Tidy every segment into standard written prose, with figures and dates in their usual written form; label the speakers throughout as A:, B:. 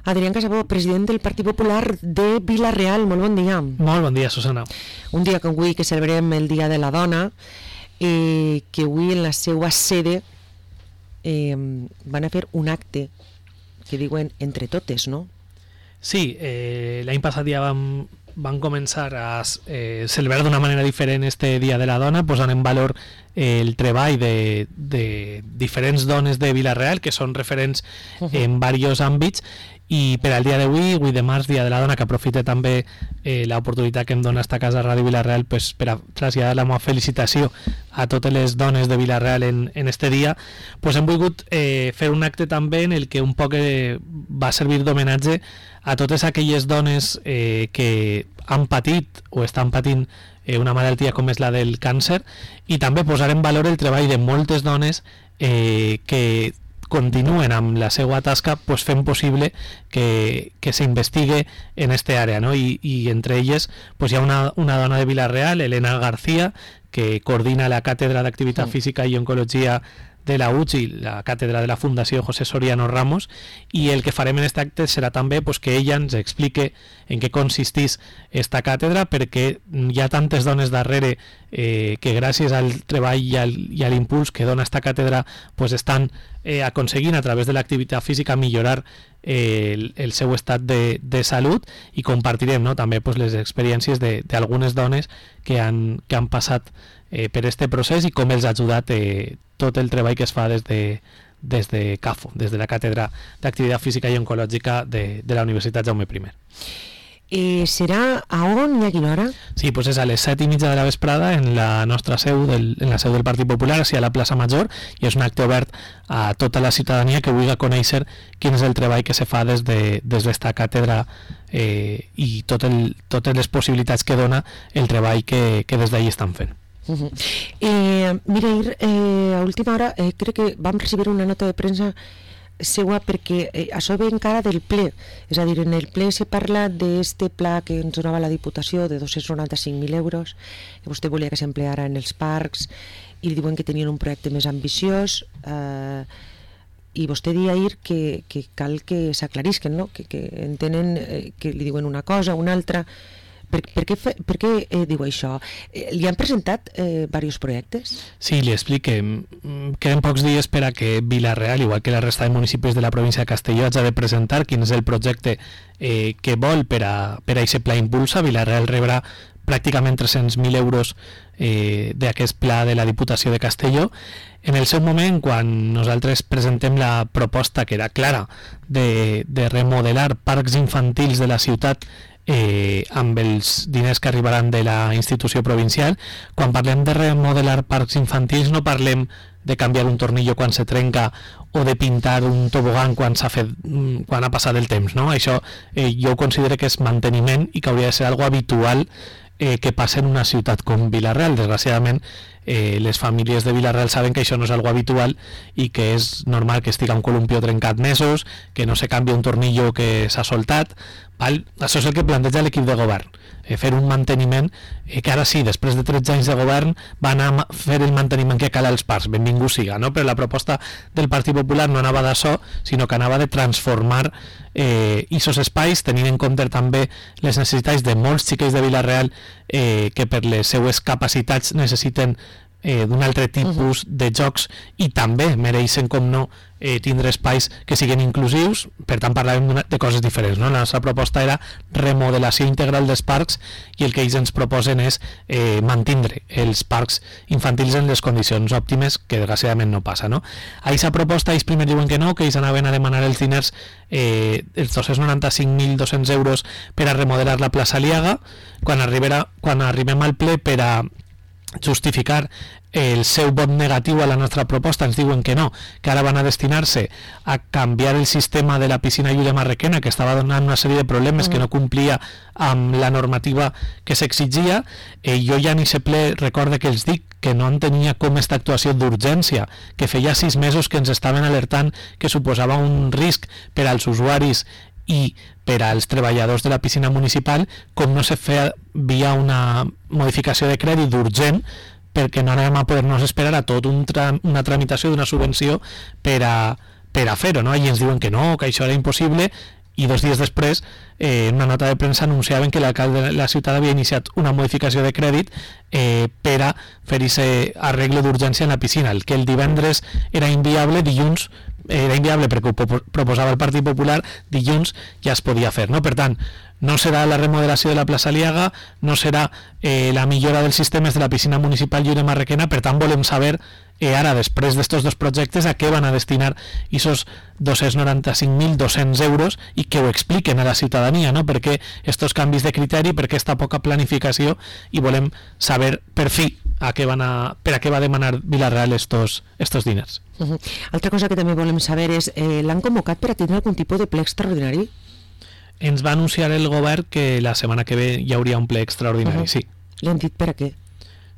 A: Adrián Casabó, president del Partit Popular de Vila-real. Molt bon dia.
B: Molt bon dia, Susana.
A: Un dia com avui que celebrem el Dia de la Dona, que avui en la seva sede van a fer un acte que diuen entre totes, no?
B: Sí, l'any passat ja van començar a celebrar d'una manera diferent este Dia de la Dona, posant en valor el treball de diferents dones de Vila-real, que són referents en diversos àmbits, i per al dia d'avui, 8 de març, Dia de la Dona, que aprofite també l'oportunitat que em dona esta casa Ràdio Vila-real pues, per a traslladar la meva felicitació a totes les dones de Vila-real en este dia, pues hem volgut fer un acte també en el que un poc va servir d'homenatge a totes aquelles dones que han patit o estan patint una malaltia com és la del càncer, i també posar en valor el treball de moltes dones que continuen amb la seva tasca pues, fent possible que s'investigue en este àrea, no? I entre elles pues, hi ha una dona de Vila-real, Elena García, que coordina la Càtedra d'Activitat Física i Oncologia de la UCI, la càtedra de la Fundació José Soriano Ramos, i el que farem en aquest acte serà també pues, que ella ens explique en què consisteix esta càtedra, perquè hi ha tantes dones darrere que gràcies al treball i a l'impuls que dona esta càtedra pues, estan aconseguint a través de l'activitat física millorar el seu estat de salut, i compartirem, no, també pues, les experiències d'algunes dones que han passat per este procés i com els ha ajudat tot el treball que es fa des de CAFO, des de la Càtedra d'Activitat Física i Oncològica de la Universitat Jaume I.
A: Serà a on i a quina hora?
B: Sí, pues és a les 7:30 de la vesprada en la nostra seu, en la seu del Partit Popular, a la plaça Major, i és un acte obert a tota la ciutadania que vulgui conèixer quin és el treball que se fa des d'esta càtedra i totes les possibilitats que dona el treball que des d'ahí estan fent.
A: Mira, a última hora crec que vam recibir una nota de premsa seua perquè això ve encara del ple, és a dir, en el ple se parla d'este pla que ens donava la Diputació de 295.000 euros que vostè volia que s'empleara en els parcs, i diuen que tenien un projecte més ambiciós, i vostè deia ahir que cal que s'aclarisquen, no? que entenen que li diuen una cosa, una altra. Per què diu això? Li han presentat diversos projectes?
B: Sí, li explique. Queden pocs dies per a que Vila-real, igual que la resta de municipis de la província de Castelló, hagi de presentar quin és el projecte que vol per a aquest pla Impulsa. Vila-real rebrà pràcticament 300.000 euros d'aquest pla de la Diputació de Castelló. En el seu moment, quan nosaltres presentem la proposta, que era clara, de remodelar parcs infantils de la ciutat amb els diners que arribaran de la institució provincial, quan parlem de remodelar parcs infantils no parlem de canviar un tornillo quan se trenca o de pintar un tobogan quan ha passat el temps, no? Això jo considero que és manteniment i que hauria de ser algo habitual que passa en una ciutat com Vila-real. Desgraciadament les famílies de Vila-real saben que això no és algo habitual i que és normal que estiga un columpio trencat mesos, que no se canvia un tornillo que s'ha soltat, val? Això és el que planteja l'equip de govern, fer un manteniment que ara sí, després de 13 anys de govern va anar a fer el manteniment que cal als parcs, benvingut siga, no? Però la proposta del Partit Popular no anava d'això, sinó que anava de transformar aquests espais, tenint en compte també les necessitats de molts xiquets de Vila-real que per les seues capacitats necessiten d'un altre tipus de jocs, i també mereixen, com no, tindre espais que siguin inclusius. Per tant parlàvem de coses diferents, no? La nostra proposta era remodelació integral dels parcs, i el que ells ens proposen és mantindre els parcs infantils en les condicions òptimes, que desgraciadament no passa, no? A aquesta proposta ells primer diuen que no, que ells anaven a demanar els diners, els 295.200 euros per a remodelar la plaça Aliaga. Quan arribem al ple per a justificar el seu vot negatiu a la nostra proposta, ens diuen que no, que ara van a destinar-se a canviar el sistema de la piscina Llúria Marrequena, que estava donant una sèrie de problemes que no complia amb la normativa que s'exigia. Jo ja ni se ple recorde que els dic que no entenia com esta actuació d'urgència, que feia 6 mesos que ens estaven alertant que suposava un risc per als usuaris i per als treballadors de la piscina municipal, com no se feia via una modificació de crèdit urgent, perquè no anàvem a poder-nos esperar a tot una tramitació d'una subvenció per a fer-ho, no? I ens diuen que no, que això era impossible, i 2 dies després en una nota de premsa anunciaven que l'alcalde de la ciutat havia iniciat una modificació de crèdit per a fer aquest arreglo d'urgència en la piscina. El que el divendres era inviable, dilluns era inviable perquè ho proposava el Partit Popular, dilluns ja es podia fer, no? Per tant, no serà la remodelació de la plaça Aliaga, no serà la millora dels sistemes de la piscina municipal Lliure Marrequena. Per tant, volem saber ara, després d'estos dos projectes, a què van a destinar aquests 295.200 euros i que ho expliquen a la ciutadania, no? Per què estos canvis de criteri, per què esta poca planificació, i volem saber per fi per a què va demanar Vila-real estos diners.
A: Altra cosa que també volem saber és, l'han convocat per a tindre algun tipus de ple extraordinari?
B: Ens va anunciar el govern que la setmana que ve hi hauria un ple extraordinari, sí.
A: Li han dit per a què?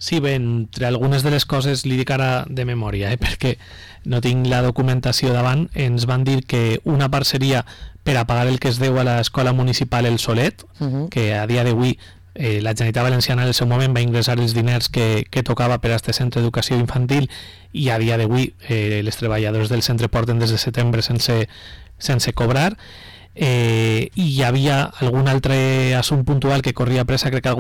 B: Sí, bé, entre algunes de les coses li dic ara de memòria, perquè no tinc la documentació davant. Ens van dir que una part seria per a pagar el que es deu a l'escola municipal El Solet, que a dia d'avui la Generalitat Valenciana en el seu moment va ingressar els diners que tocava per a aquest centre d'educació infantil, i a dia d'avui les treballadors del centre porten des de setembre sense cobrar. I hi havia algun altre assumpte puntual que corria pressa, crec que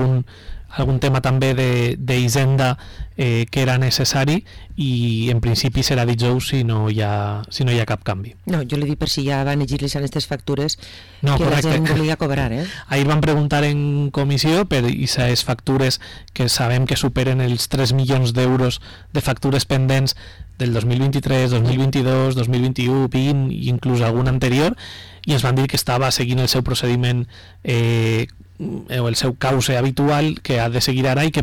B: algun tema també d'Hisenda que era necessari, i en principi serà dijous si no hi ha cap canvi.
A: No, jo li dic per si ja van exigir-les aquestes factures
B: no,
A: que
B: correcte.
A: La gent volia cobrar.
B: Ahir van preguntar en comissió per aquestes factures que sabem que superen els 3 milions d'euros de factures pendents del 2023, 2022, 2021, 20 i inclús algun anterior, i ens van dir que estava seguint el seu procediment o el seu cauce habitual que ha de seguir ara, i que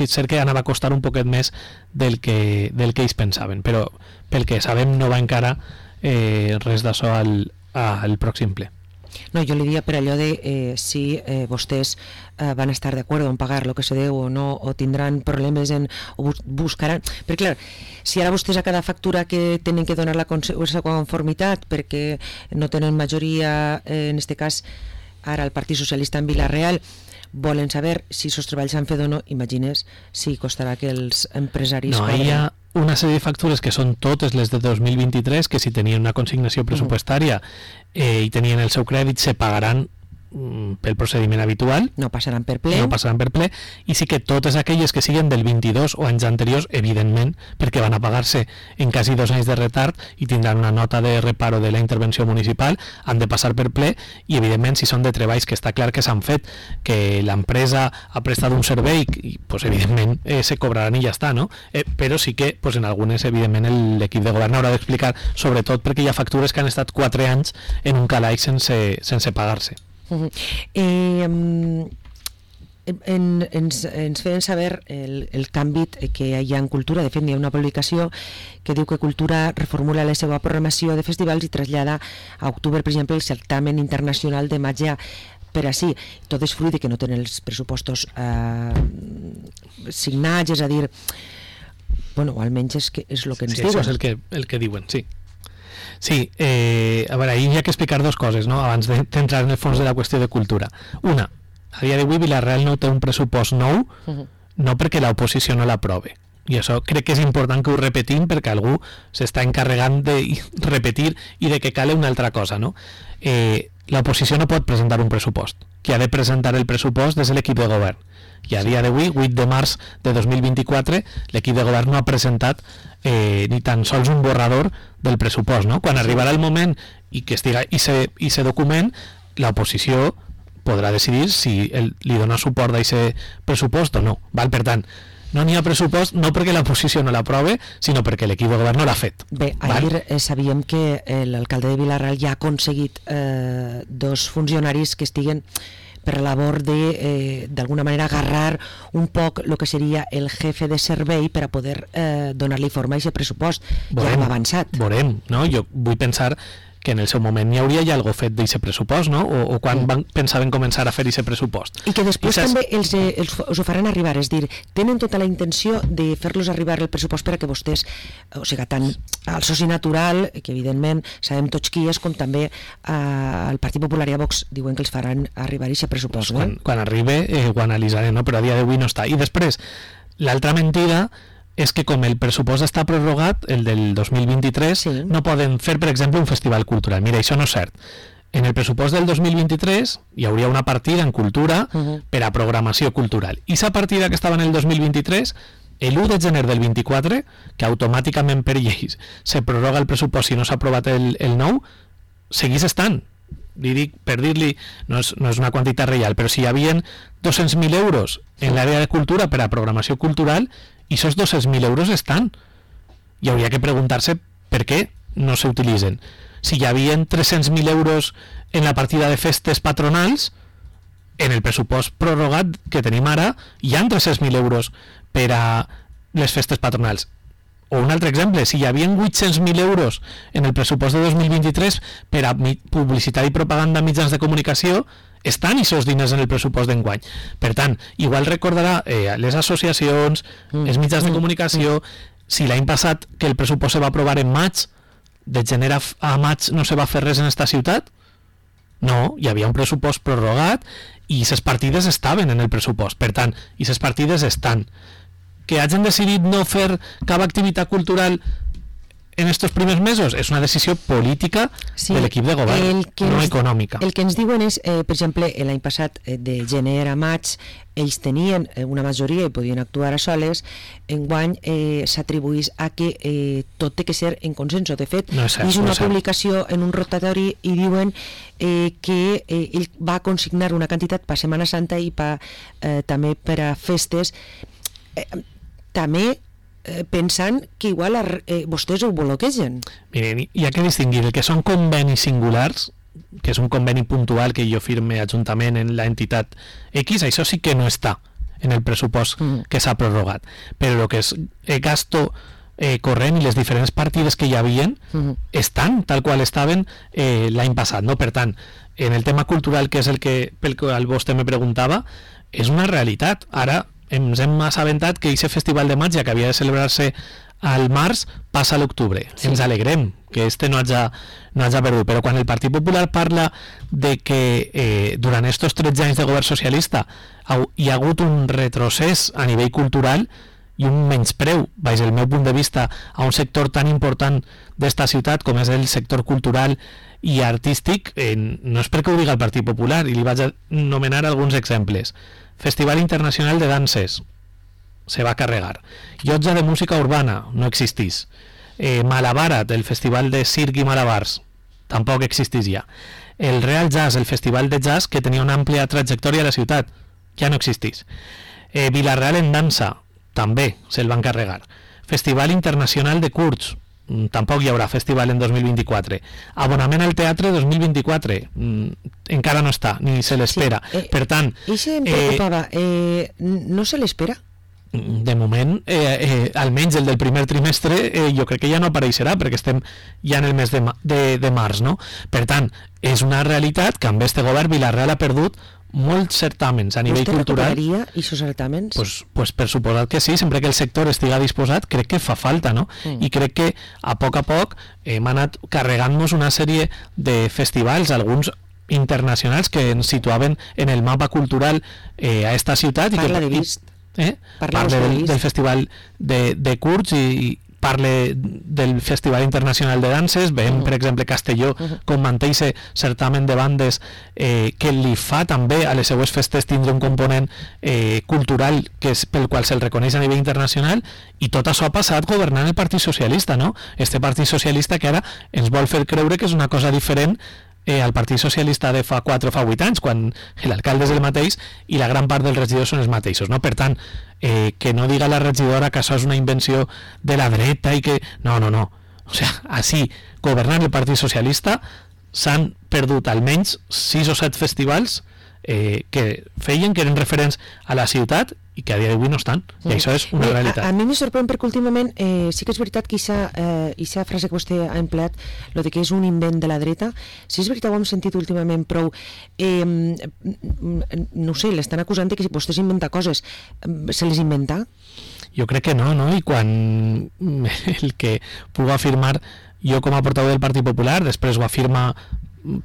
B: cert que anava a costar un poquet més del que ells pensaven, però pel que sabem no va encara res d'això al pròxim ple.
A: No, jo li diria per allò de si vostès van estar d'acord en pagar el que se deu o no, o tindran problemes o buscaran, perquè clar, si ara vostès a cada factura que tenen que donar la conformitat perquè no tenen majoria, en este cas ara el Partit Socialista en Vila-real, volen saber si els treballs s'han fet o no, imagines si costarà que els empresaris...
B: No, hi ha una sèrie de factures que són totes les de 2023, que si tenien una consignació pressupostària i tenien el seu crèdit, se pagaran pel procediment habitual.
A: No passaran per ple.
B: I sí que totes aquelles que siguen del 22 o anys anteriors, evidentment, perquè van a pagar-se en quasi 2 anys de retard i tindran una nota de reparo de la intervenció municipal, han de passar per ple, i evidentment si són de treballs que està clar que s'han fet, que l'empresa ha prestat un servei, pues, evidentment se cobraran i ja està, no? Però sí que pues, en algunes evidentment l'equip de govern haurà d'explicar, sobretot perquè hi ha factures que han estat 4 anys en un calaix sense pagar-se.
A: Ens feien saber el canvi que hi ha en Cultura. De fet, hi ha una publicació que diu que Cultura reformula la seva programació de festivals i trasllada a octubre, per exemple, el certamen internacional de màgia per ací. Tot és fruit de que no tenen els pressupostos signats, és a dir, bueno, almenys és el que ens diuen.
B: Això és el que diuen, sí. Sí, a veure, ahir hi ha que explicar dues coses, no?, abans d'entrar en el fons de la qüestió de Cultura. Una, a dia d'avui Vila-real no té un pressupost nou, no perquè l'oposició no l'aprove. I això crec que és important que ho repetim, perquè algú s'està encarregant de repetir i de que cale una altra cosa, no? L'oposició no pot presentar un pressupost. Qui ha de presentar el pressupost és l'equip de govern. I a dia d'avui, 8 de març de 2024, l'equip de govern no ha presentat ni tan sols un borrador del pressupost, no? Quan arribarà el moment i que estiga i se document, l'oposició podrà decidir si li dona suport a aquest pressupost o no. Val? Per tant, no n'hi ha pressupost no perquè l'oposició no l'aprove, sinó perquè l'equip de govern no l'ha fet.
A: Bé, ahir sabíem que l'alcalde de Vila-real ja ha aconseguit 2 funcionaris que estiguen per la labor de d'alguna manera agarrar un poc el que seria el jefe de servei per a poder donar-li forma a aquest pressupost. Ja hem avançat.
B: Veurem, no? Jo vull pensar que en el seu moment n'hi hauria ja algo fet d'aquest pressupost, no? O quan pensaven començar a fer aquest pressupost.
A: I que després també els ho faran arribar, és dir, tenen tota la intenció de fer-los arribar el pressupost per a que vostès, o sigui, tant al soci natural, que evidentment sabem tots qui és, com també al Partit Popular i a Vox diuen que els faran arribar aquest pressupost.
B: Quan arribi ho analitzarem, no? Però a dia d'avui no està. I després, l'altra mentida és que com el pressupost està prorrogat, el del 2023, no poden fer, per exemple, un festival cultural. Mira, això no és cert. en el pressupost del 2023 hi hauria una partida en cultura per a programació cultural. I aquesta partida que estava en el 2023, l'1 de gener del 24, que automàticament per lleis se prorroga el pressupost si no s'ha aprovat el nou, seguís estant. Li dic, per dir-li, no és una quantitat real, però si hi havia 200.000 euros en l'àrea de cultura per a programació cultural, i aquests 200.000 euros estan. I hauria que preguntar-se per què no s'utilitzen. Si hi havia 300.000 euros en la partida de festes patronals, en el pressupost prorrogat que tenim ara, hi ha 300.000 euros per a les festes patronals. O un altre exemple, si hi havia 800.000 euros en el pressupost de 2023 per a publicitat i propaganda a mitjans de comunicació, estan aquests diners en el pressupost d'enguany. Per tant, igual recordarà les associacions, els mitjans de comunicació, si l'any passat que el pressupost se va aprovar en maig, de gener a maig no se va fer res en esta ciutat? No, hi havia un pressupost prorrogat i aquestes partides estaven en el pressupost. Per tant, aquestes partides estan. Que hagin decidit no fer cap activitat cultural en estos primers mesos és una decisió política de l'equip de govern, no econòmica.
A: El que ens diuen és, per exemple, l'any passat, de gener a maig, ells tenien una majoria i podien actuar a soles, enguany s'atribuís a que tot té que ser en consenso. De fet, és una publicació en un rotatori i diuen que ell va consignar una quantitat per Setmana Santa i també per a festes, també pensant que igual vostès ho bloquegen.
B: Miren, hi ha que distingir el que són convenis singulars, que és un conveni puntual que jo firme ajuntament en l'entitat X, això sí que no està en el pressupost que s'ha prorrogat, però el que és gasto corrent i les diferents partides que hi havien estan tal qual estaven l'any passat, no? Per tant, en el tema cultural, que és el que pel qual vostè me preguntava, és una realitat. Ara ens hem assabentat que aquest festival de maig, que havia de celebrar-se al març, passa a l'octubre. Sí. Ens alegrem que no hagi perdut, però quan el Partit Popular parla de que durant estos 13 anys de govern socialista hi ha hagut un retrocés a nivell cultural i un menyspreu, des del meu punt de vista, a un sector tan important d'esta ciutat com és el sector cultural i artístic, no és perquè ho diga el Partit Popular, i li vaig anomenar alguns exemples. Festival Internacional de Danses se va carregar. Llotja de Música Urbana no existís. Malabarat, el Festival de Circ i Malabars, tampoc existís ja. El Real Jazz, el Festival de Jazz, que tenia una àmplia trajectòria a la ciutat, ja no existís. Vila-real en Dansa, també se'l van carregar. Festival Internacional de Curts, tampoc hi haurà festival en 2024. Abonament al teatre 2024 encara no està, ni se l'espera. Per tant,
A: això em preocupava, no se l'espera?
B: De moment, almenys el del primer trimestre, jo crec que ja no apareixerà, perquè estem ja en el mes de març, no? Per tant, és una realitat que amb este govern Vila-real ha perdut molts certàmens a nivell cultural.
A: Vostè recuperaria aquests certàmens?
B: Pues per suposat que sí, sempre que el sector estiga disposat, crec que fa falta, no? I crec que a poc hem anat carregant-nos una sèrie de festivals, alguns internacionals que ens situaven en el mapa cultural a esta ciutat.
A: Parla de Vist.
B: Parle del festival de Curts i parle del Festival Internacional de Danses. Veiem, per exemple, Castelló com manté certament de bandes que li fa també a les seues festes tindre un component cultural que és pel qual se'l reconeix a nivell internacional, i tot això ha passat governant el Partit Socialista, no? Este Partit Socialista que ara ens vol fer creure que és una cosa diferent al Partit Socialista de fa 4 o fa 8 anys, quan l'alcalde és el mateix i la gran part dels regidors són els mateixos, no? Per tant, que no diga la regidora que això és una invenció de la dreta i que... No. O sigui, així, governant el Partit Socialista, s'han perdut almenys 6 o 7 festivals que feien que eren referents a la ciutat i que a dia d'avui no estan, i això és una realitat.
A: A mi me sorprèn perquè últimament sí que és veritat que aquesta frase que vostè ha empleat, lo de que és un invent de la dreta, sí és veritat, ho hem sentit últimament prou. No sé, l'estan acusant de que si vostè s'inventa coses, se les inventa?
B: Jo crec que no, i quan el que puc afirmar jo com a portaveu del Partit Popular, després ho afirma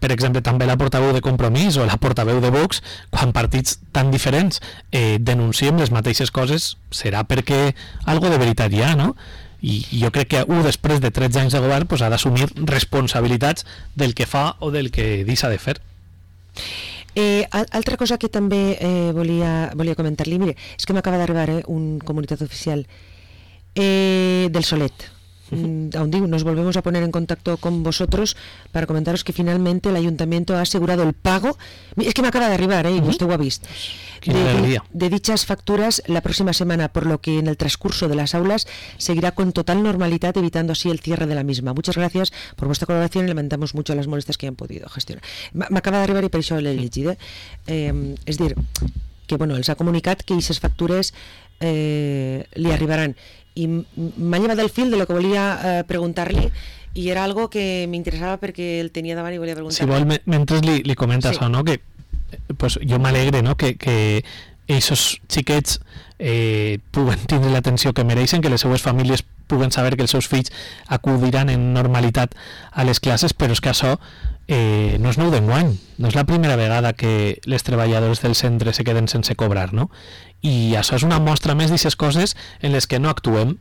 B: per exemple també la portaveu de Compromís o la portaveu de Vox, quan partits tan diferents denunciem les mateixes coses, serà perquè algo de veritat hi ha, no? i jo crec que després de 13 anys de govern pues, ha d'assumir responsabilitats del que fa o del que deixa de fer.
A: Altra cosa que també volia comentar-li, mire, és que m'acaba d'arribar un comunicat oficial del Solet, aún digo, nos volvemos a poner en contacto con vosotros para comentaros que finalmente el ayuntamiento ha asegurado el pago, es que me acaba de arribar, y usted lo ha visto, de dichas facturas la próxima semana, por lo que en el transcurso de las aulas seguirá con total normalidad, evitando así el cierre de la misma. Muchas gracias por vuestra colaboración y lamentamos mucho las molestias que hayan podido gestionar. M'acaba d'arribar i per això l'he llegit, és dir, que bueno, els ha comunicat que aquestes factures li arribaran, i m'ha llevat del fil de lo que volia preguntar-li, i era algo que m'interessava perquè el tenia davant i volia preguntar-li.
B: Si vol, mentre li comenta això, no? Que pues, jo m'alegre, no? que aquests xiquets puguen tindre l'atenció que mereixen, que les seues famílies puguen saber que els seus fills acudiran en normalitat a les classes, però és que això no és nou d'enguany, no és la primera vegada que les treballadores del centre se queden sense cobrar, no? I això és una mostra més d'aquestes coses en les que no actuem,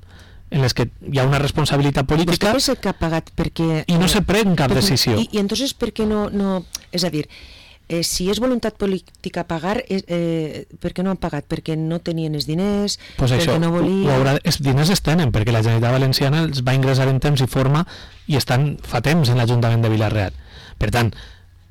B: en les que hi ha una responsabilitat política
A: que ha pagat perquè,
B: i no se pren cap decisió.
A: I entonces per què no... És a dir, si és voluntat política pagar, per què no han pagat? Perquè no tenien els diners,
B: pues
A: perquè
B: això,
A: no volien...
B: Els diners es tenen, perquè la Generalitat Valenciana els va ingressar en temps i forma i estan fa temps en l'Ajuntament de Vila-real. Per tant,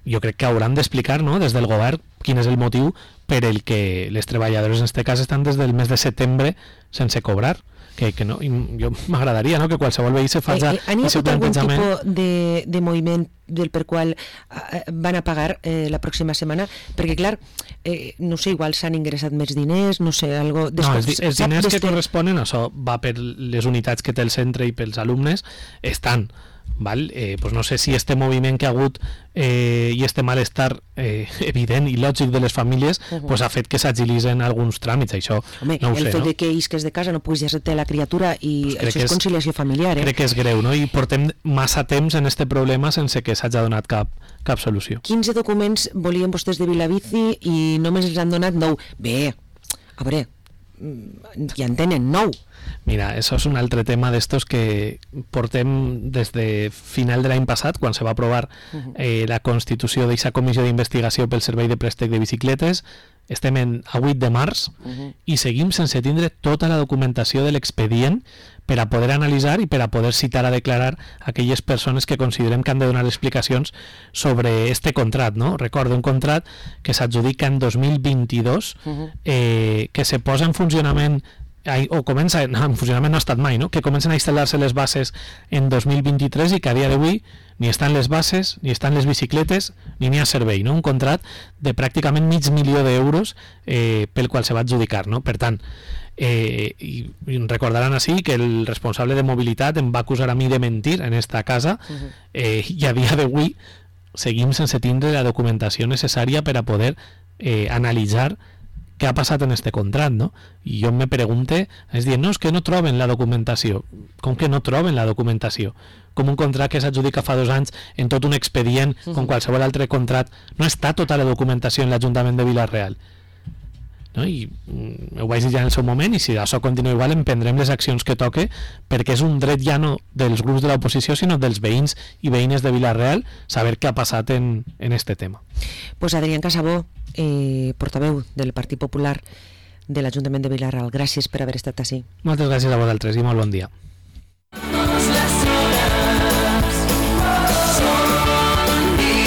B: jo crec que hauran d'explicar, no?, des del govern quin és el motiu per el que les treballadores en aquest cas estan des del mes de setembre sense cobrar. Que no, jo m'agradaria, no?, que qualsevol veí se faci el seu plantejament.
A: Algun tipus de moviment del per qual van a pagar la pròxima setmana? Perquè, clar, no sé, igual s'han ingressat més diners, no sé, algo...
B: No, els diners que corresponen, això va per les unitats que té el centre i pels alumnes, estan... Val? Pues no sé si este moviment que ha hagut i este malestar evident i lògic de les famílies pues ha fet que s'agilitzen alguns tràmits, això
A: home,
B: no ho sé.
A: El fet de que isques de casa no puguis ja té la criatura i
B: pues
A: això és conciliació familiar.
B: Crec que és greu, no? I portem massa temps en este problema sense que s'hagi donat cap solució.
A: 15 documents volien vostès de Vilabici i només els han donat 9. Bé, a veure, ja en tenen 9.
B: Mira, això és un altre tema d'estos que portem des de final de l'any passat, quan se va aprovar la constitució d'aquesta comissió d'investigació pel servei de préstec de bicicletes. Estem a 8 de març i seguim sense tindre tota la documentació de l'expedient per a poder analitzar i per a poder citar a declarar aquelles persones que considerem que han de donar explicacions sobre este contrat, no? Recordo un contrat que s'adjudica en 2022 que se posa en funcionament o comença, en funcionament no ha estat mai, no? Que comencen a instal·lar-se les bases en 2023 i que a dia d'avui ni estan les bases, ni estan les bicicletes, ni n'hi ha servei, no? Un contrat de pràcticament $500,000 d'euros pel qual se va adjudicar, no? Per tant, i recordaran així que el responsable de mobilitat em va acusar a mi de mentir en esta casa i a dia d'avui seguim sense tindre la documentació necessària per a poder analitzar què ha passat en este contrat, no? I jo me pregunte, és dir, no, és que no troben la documentació. Com que no troben la documentació? Com un contrat que s'adjudica fa 2 anys en tot un expedient, com qualsevol altre contrat, no està tota la documentació en l'Ajuntament de Vila-real. No? I ho vaig dir ja en el seu moment, i si això continua igual emprendrem les accions que toque, perquè és un dret ja no dels grups de l'oposició, sinó dels veïns i veïnes de Vila-real saber què ha passat en este tema.
A: Pues Adrián Casabó, portaveu del Partit Popular de l'Ajuntament de Vila-real, gràcies per haver estat així.
B: Moltes gràcies a vosaltres i molt bon dia.